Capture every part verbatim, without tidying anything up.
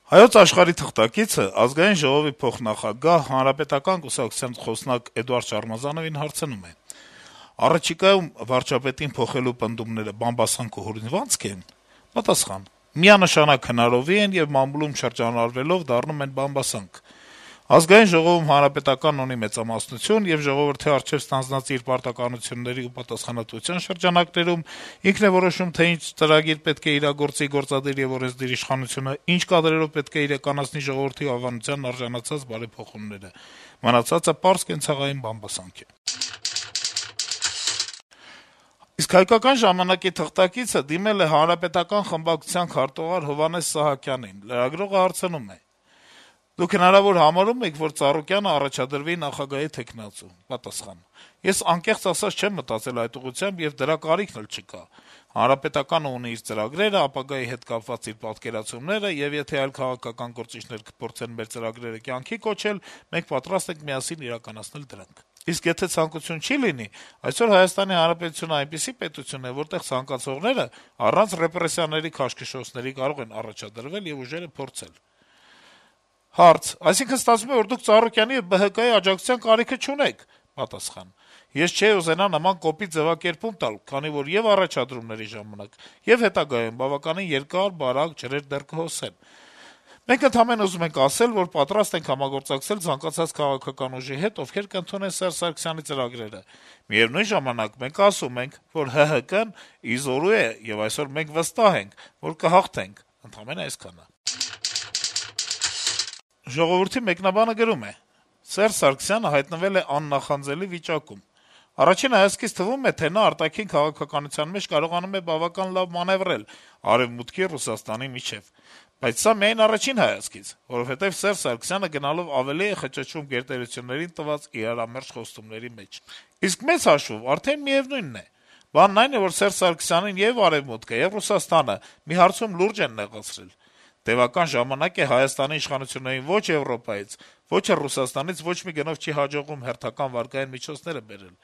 Հայոց Աշխարհի թղթակիցը Ազգային ժողովի փոխնախագահ, Հանրապետական կուսակցության խոսնակ Էդուարդ Շարմազանովին հարցնում է. - «Առաջիկայում վարչապետին փոխելու պնդումները բամբասանք ու հորինվածք են»։ Պատասխան. - «Միանշանակ հնարովի են եւ մամուլում շրջանառվելով դառնում են բամբասանք։ Ազգային ժողովում Հանրապետականն ունի մեծամասնություն եւ ժողովրդի առջեւ ստանձնած իր պարտականությունների ու պատասխանատվության շրջանակներում ինքն է որոշում, թե ինչ ծրագիր պետք է իրագործի գործադիր եւ օրենսդիր իշխանությունը, ինչ կադրերով պետք է իրականացնի ժողովրդի հավանությանն արժանացած բարեփոխումները։ Մնացածը պարզ կենցաղային բամբասանք է»։ Իսկ «Հայկական ժամանակ»-ի թղթակիցը դիմել է Հանրապետական խմբակցության քարտուղար Հովհաննես Սահակյանին: Լրագրողը հարցնում է. - «Դուք հնարավոր համարում եք, որ Ծառուկյանը առաջադրվի նախագահի թեկնածու»: Պատասխան. - «Ես անկեղծ ասած չեմ մտածել այդ ուղղությամբ եւ դրա կարիքն էլ չկա: Հանրապետականը ունի իր ծրագրերը, ապագայի հետ կապված իր պատկերացումները, եւ եթե այլ քաղաքական գործիչներ կփորձեն մեր ծրագրերը կյանքի կոչել, մենք պատրաստ ենք միասին իրականացնել դրանք: Իսկ եթե ցանկություն չի լինի, այսօր Հայաստանի Հանրապետությունը այնպիսի պետություն է, որտեղ ցանկացողները առանց ռեպրեսիաների, քաշքշոցների կարող են առաջադրվել եւ ուժերը փորձել»: Հարց. - «Այսինքն ստացվում է, որ դուք Ծառուկյանի եւ Բը Հը Կայի աջակցության կարիքը չունեք»: Պատասխան. - «Ես չէի ուզենա նման կոպիտ ձեւակերպում տալ, քանի որ եւ առաջադրումների ժամանակ, եւ հետագայում բավականին երկար, բարակ ջրեր դեռ կհոսեն: Մենք ընդամենը ուզում ենք ասել, որ պատրաստ ենք համագործակցել ցանկացած քաղաքական ուժի հետ, ովքեր կընդունեն Սերժ Սարգսյանի ծրագրերը: Միեւնույն ժամանակ մենք ասում ենք, որ Հը Հը Կն ի զորու է, եւ այսօր մենք վստահ ենք, որ կհաղթենք: Ընդամենը այսքանը»: «Ժողովուրդ»-ի մեկնաբանը գրում է. - «Սերժ Սարգսյանը հայտնվել է աննախանձելի վիճակում: Առաջին հայացքից թվում է, թե նա արտաքին քաղաքականության մեջ կարողանում է բավական լավ մանեւրել Արեւմուտքի, Ռուսաստանի միջեւ: Բայց սա միայն առաջին հայացքից, որովհետեւ Սերժ Սարգսյանը գնալով ավելի է խճճվում գերտերություններին տված իրարամերժ խոստումների մեջ: Իսկ մեծ հաշվով արդեն միեւնույնն է: Բանն այն է, որ Սերժ Սարգսյանին ե'ւ Արեւմուտքը, ե'ւ Ռուսաստանը մի հարցում լուրջ են նեղացրել: Տեւական ժամանակ է Հայաստանի իշխանություններին ոչ Եվրոպայից, ոչ էլ Ռուսաստանից ոչ մի գնով չի հաջողվում հերթական վարկային միջոցները բերել: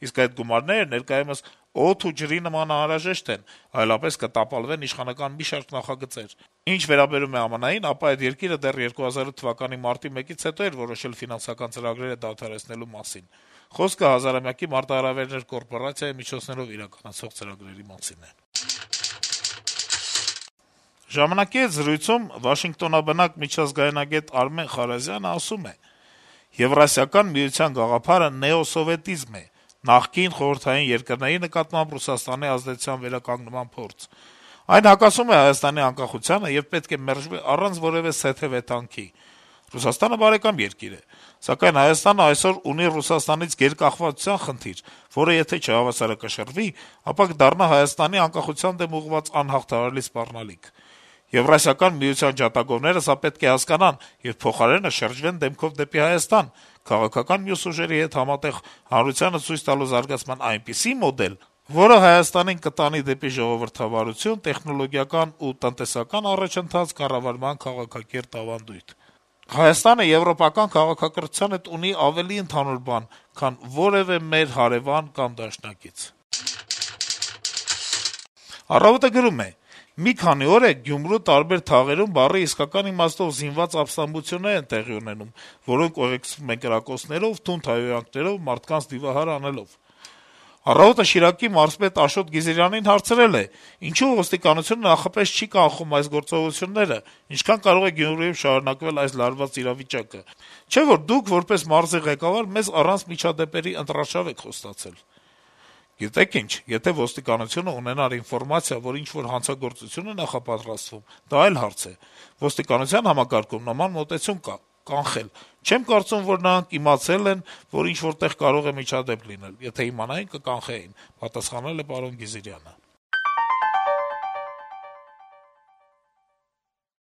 Իսկ այդ գումարները ներկայումս օդի ու ջրի նման անհրաժեշտ են, այլապես կտապալվեն իշխանական մի շարք նախագծեր: Ինչ վերաբերում է Է Ամ Ն-ին, ապա այդ երկիրը դեռ երկու հազար ութ թվականի մարտի մեկից հետո էր որոշել ֆինանսական ծրագրերը դադարեցնելու մասին: Խոսքը հազարամյակի մարտահրավերներ կորպորացիայի միջոցներով իրականացվող ծրագրերի մասին է»: «Ժամանակ»-ի հետ զրույցում Վաշինգտոնաբնակ միջազգայնագետ Արմեն Խարազյանը ասում է. - «Եվրասիական միության գաղափարը նեոսովետիզմ է, նախկին խորհրդային երկրների նկատմամբ Ռուսաստանի ազդեցության վերականգնման փորձ: Այն հակասում է Հայաստանի անկախությանը եւ պետք է մերժվի առանց որեւէ սեթեւեթանքի: Ռուսաստանը բարեկամ երկիր է, սակայն Հայաստանը այսօր ունի Ռուսաստանից գերկախվածության խնդիր, որը եթե չհավասարակշռվի, ապա կդառնա Հայաստանի անկախության դեմ ուղղված անհաղթահարելի սպառնալիք: Եվրասիական միության ջատագովները սա պետք է հասկանան եւ փոխարենը շրջվեն դեմքով դեպի Հայաստան, քաղաքական մյուս ուժերի հետ համատեղ հանրությանը ցույց տալու զարգացման այնպիսի մոդել, որը Հայաստանին կտանի դեպի ժողովրդավարություն, տեխնոլոգիական ու տնտեսական առաջընթաց, կառավարման քաղաքակիրթ ավանդույթ: Հայաստանը եվրոպական քաղաքակրթության հետ ունի ավելի ընդհանուր բան, քան որեւէ մեր հարեւան կամ դաշնակից»: «Առավոտ»-ը գրում է. - «Մի քանի օր է Գյումրու տարբեր թաղերում բառի իսկական իմաստով զինված ապստամբություններ են տեղի ունենում, որոնք ուղեկցվում են կրակոցներով, թունդ հայհոյանքներով, մարդկանց դիմահար անելով: «Առավոտ»-ը Շիրակի մարզպետ Աշոտ Գիզիրյանին հարցրել է. ինչու ոստիկանությունը նախապես չի կանխում այս գործողությունները, ինչքան կարող է Գյումրիում շարունակվել այս լարված իրավիճակը: Չէ՞ որ դուք, որպես մարզի ղեկավար, մեզ առանց միջադեպերի ընտրարշավ եք խոստացել»: «Գիտեք ինչ, եթե ոստիկանությունը ունենար ինֆորմացիա, որ ինչ-որ հանցագործություն է նախապատրաստվում, դա այլ հարց է: Ոստիկանության համակարգում նման մոտեցում կա՝ կանխել: Չեմ կարծում, որ նրանք իմացել են, որ ինչ-որ տեղ կարող է միջադեպ լինել: Եթե իմանային, կկանխեին», - պատասխանել է պարոն Գիզիրյանը: